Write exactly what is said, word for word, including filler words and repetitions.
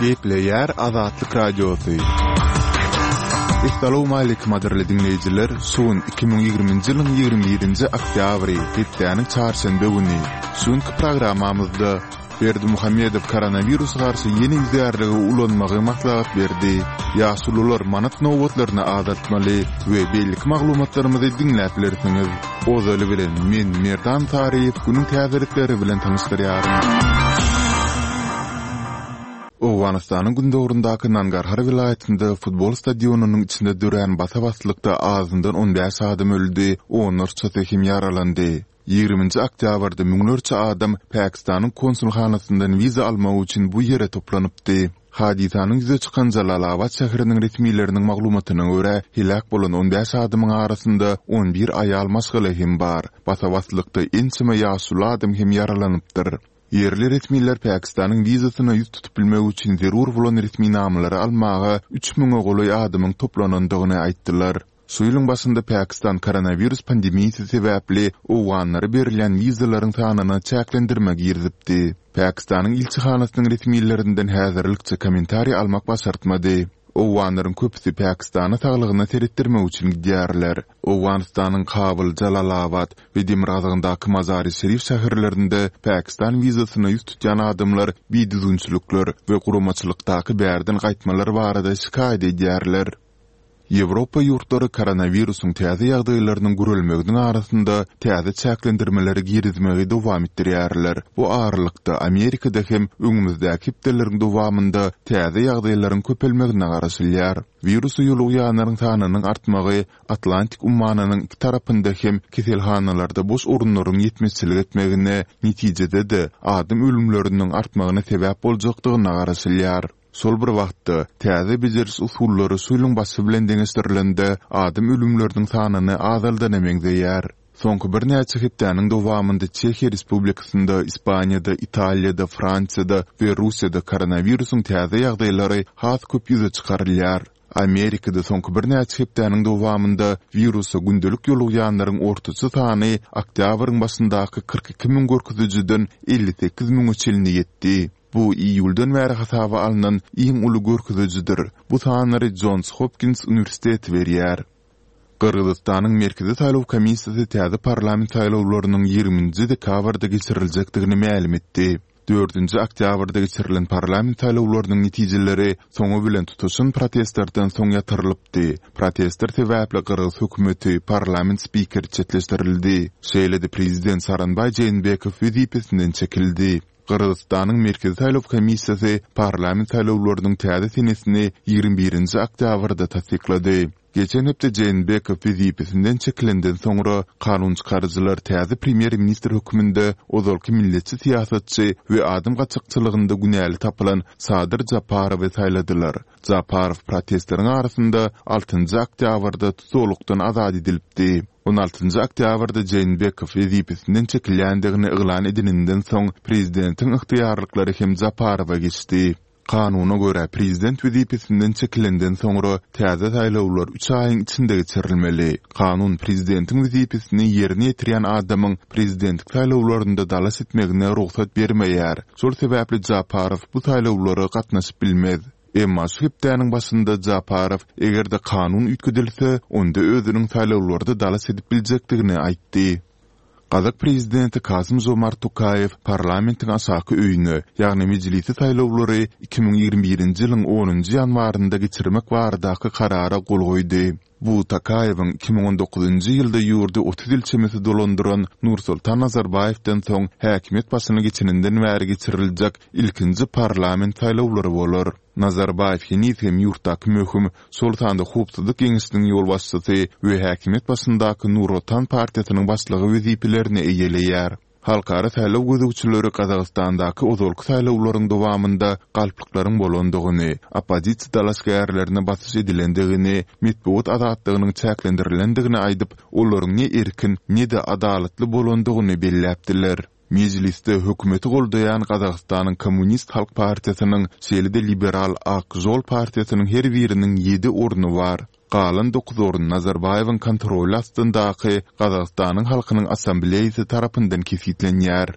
Gepleýär Azatlyk Radiosy. Essalawmaleýkim gadyrly diňleýjiler! Şu gün iki müň ýigriminji ýylyň ýigrimi birinji oktýabry, hepdäniň çarşenbe güni. Şu günki programmamyzda Berdimuhamedow koronawirusa garşy ýene ýüzärligi ulanmagy maslahat berdi. Ýaşulular manat nobatlaryny azaltmaly we beýleki maglumatlarymyzy diňläp bilersiňiz. Ozaly bilen men Merdan Saryýew günüň täzelikleri bilen tanyşdyrýaryn. Owganystanyň gündogaryndaky Nangarhar welaýatynda futbol stadionynyň içinde dörän basa-baslykda azyndan on bäş adam öldi, onlarçasy hem ýaralandy. Ýigriminji oktýabrda müňlerçe adam Pakistanyň konsulhanasyndan wiza almak üçin bu ýere toplanypdy. Hadysanyň ýüze çykan Jalalabat şäheriniň resmileriniň maglumatyna görä, heläk bolan on bäş adamyň arasynda on bir aýal maşgala hem bar. Basa-baslykda ençeme ýaşuly adam hem ýaralanypdyr. Ýerli resmiler Pakistanyň wizasyna ýüz tutup bilmek üçin zerur bolan resminamalary almaga üç müňe golaý adamyň toplanandygyny aýtdylar. Şu ýylyň başynda Pakistan koronawirus pandemiýasy sebäpli owganlara berilýän wizalaryň sanyna çäklendirme girizipdi. Pakistanyň ilçihanasynyň resmilerinden häzirlikçe kommentariý almak başartmady. Owganlaryň köpüsi Pakistana saglygyna seretdirmek üçin gidýärler. Owganystanyň Kabul, Jalalabat we demirgazygyndaky Mazari-Şerif şäherlerinde Pakistan wizasyna ýüz tutýan adamlar bidüzgünçilikler we guramaçylykdaky bärden gaýtmalar barada şikaýat edýärler. Ýewropa ýurtlary koronawirusyň täze ýagdaýlarynyň gürelmeginiň arasynda täze çäklendirmeleri girizmegi dowam etdirýärler. Bu aralykda Amerikada hem öňümizdäki hepdeleriň dowamynda täze ýagdaýlaryň köpelmegine garaşylýar. Wirusa ýolugýanlaryň sanynyň artmagy Atlantik ummanynyň iki tarapynda hem keselhanalarda boş orunlaryň ýetmezçilik etmegine, netijede-de adam ölümleriniň artmagyna sebäp boljakdygyna garaşylýar. Şol bir wagtda, täze bejeriş usullary şu ýylyň başy bilen deňeşdirilende adam ölümleriniň sanyny azaldana meňzeýär. Soňky birnäçe hepdäniň dowamynda Çehiýa Respublikasynda, Ispaniýada, Italiýada, Fransiýada we Russiýada koronawirusyň täze ýagdaýlary has köp ýüze çykarylýar. Amerikada soňky birnäçe hepdäniň dowamynda wirusa gündelik ýolugýanlaryň ortaça sany oktýabryň başyndaky kyrk iki müň görkezijiden elli sekiz müňe çenli ýetdi. Bu iýuldan bäri hasaba alnan iň uly görkezijidir. Bu sanlary Jons Hopkins uniwersiteti berýär. Gyrgyzystanyň Merkezi saýlaw komissiýasy täze parlament saýlawlarynyň ýigriminji dekabrda geçiriljekdigini mälim etdi. Dördünji oktýabrda geçirilen parlament saýlawlarynyň netijeleri soňy bilen tutaşan protestlerden soň ýatyrylypdy. Protestler sebäpli gyrgyz hökümeti, parlament spikeri çetleşdirildi. Şeýle-de prezident Sooronbaý Jeenbekow wezipesinden çekildi. Gyrgyzystanyň Merkezi saýlaw komissiýasy parlament saýlawlarynyň täze senesini ýigrimi birinji oktýabrda tassyklady. Geçen hepde Jeenbekow wezipesinden çekilenden soňra kanunçykaryjylar täze premýer-ministr hökmünde ozalky milletçi syýasatçy we adam gaçakçylygynda günäli tapylan Sadyr Japarowy saýladylar. Japarow protestleriň arasynda altynjy oktýabrda tussaglykdan azat edilipdi. On altynjy oktýabrda Jeenbekow wezipesinden çekilýändigini yglan edeninden soň prezidentiň ygtyýarlyklary hem Japarowa geçdi. Kanuna görä, prezident wezipesinden çekilenden soňra täze saýlawlar üç aýyň içinde geçirilmeli. Kanun prezidentiň wezipesini ýerine ýetirýän adamyň prezidentlik saýlawlarynda dalaş etmegine rugsat bermeýär. Şol sebäpli Japarow bu saýlawlara gatnaşyp bilmez. Emma şu hepdäniň başynda Japarow eger-de kanun üýtgedilse, onda özüniň saýlawlarda dalaş edip biljekdigini aýtdy. Gazak prezidenti Kasym-Žomart Tokaýew parlamentiň aşaky öýüne, ýagny mejlisi saýlawlary iki müň ýigrimi birinji ýylyň onunjy ýanwarynda geçirmek baradaky karara gol goýdy. Bu Tokaýewiň iki müň on dokuzynjy ýylda ýurdy otuz ýyl çemesi dolandyran Nursultan Nazarbaýewden soň häkimiýet başyna geçeninden bäri geçiriljek ilkinji parlament saýlawlary bolar. Nazarbaýew heniz hem ýurtdaky möhüm, şol sanda Howpsuzlyk geňeşiniň ýolbaşçysy we häkimiýet başyndaky Nur Otan partiýasynyň başlygy wezipelerini eýeleýär. Halkara saýlaw gözegçileri Gazagystandaky ozalky saýlawlaryň dowamynda galplyklaryň bolandygyny, oppozisiýa dalaşgärlerine basyş edilendigini, metbugat azatlygynyň çäklendirilendigini aýdyp, olaryň ne erkin, ne-de adalatly bolandygyny belläpdiler. Mejlisde hökümeti goldaýan Gazagystanyň Kommunist halk partiýasynyň, şeýle-de liberal Ak žol partiýasynyň her biriniň ýedi orny bar. Galan dokuz orun Nazarbaýewiň kontroly astyndaky Gazagystanyň halkynyň assambleýasy tarapyndan kesgitlenýär.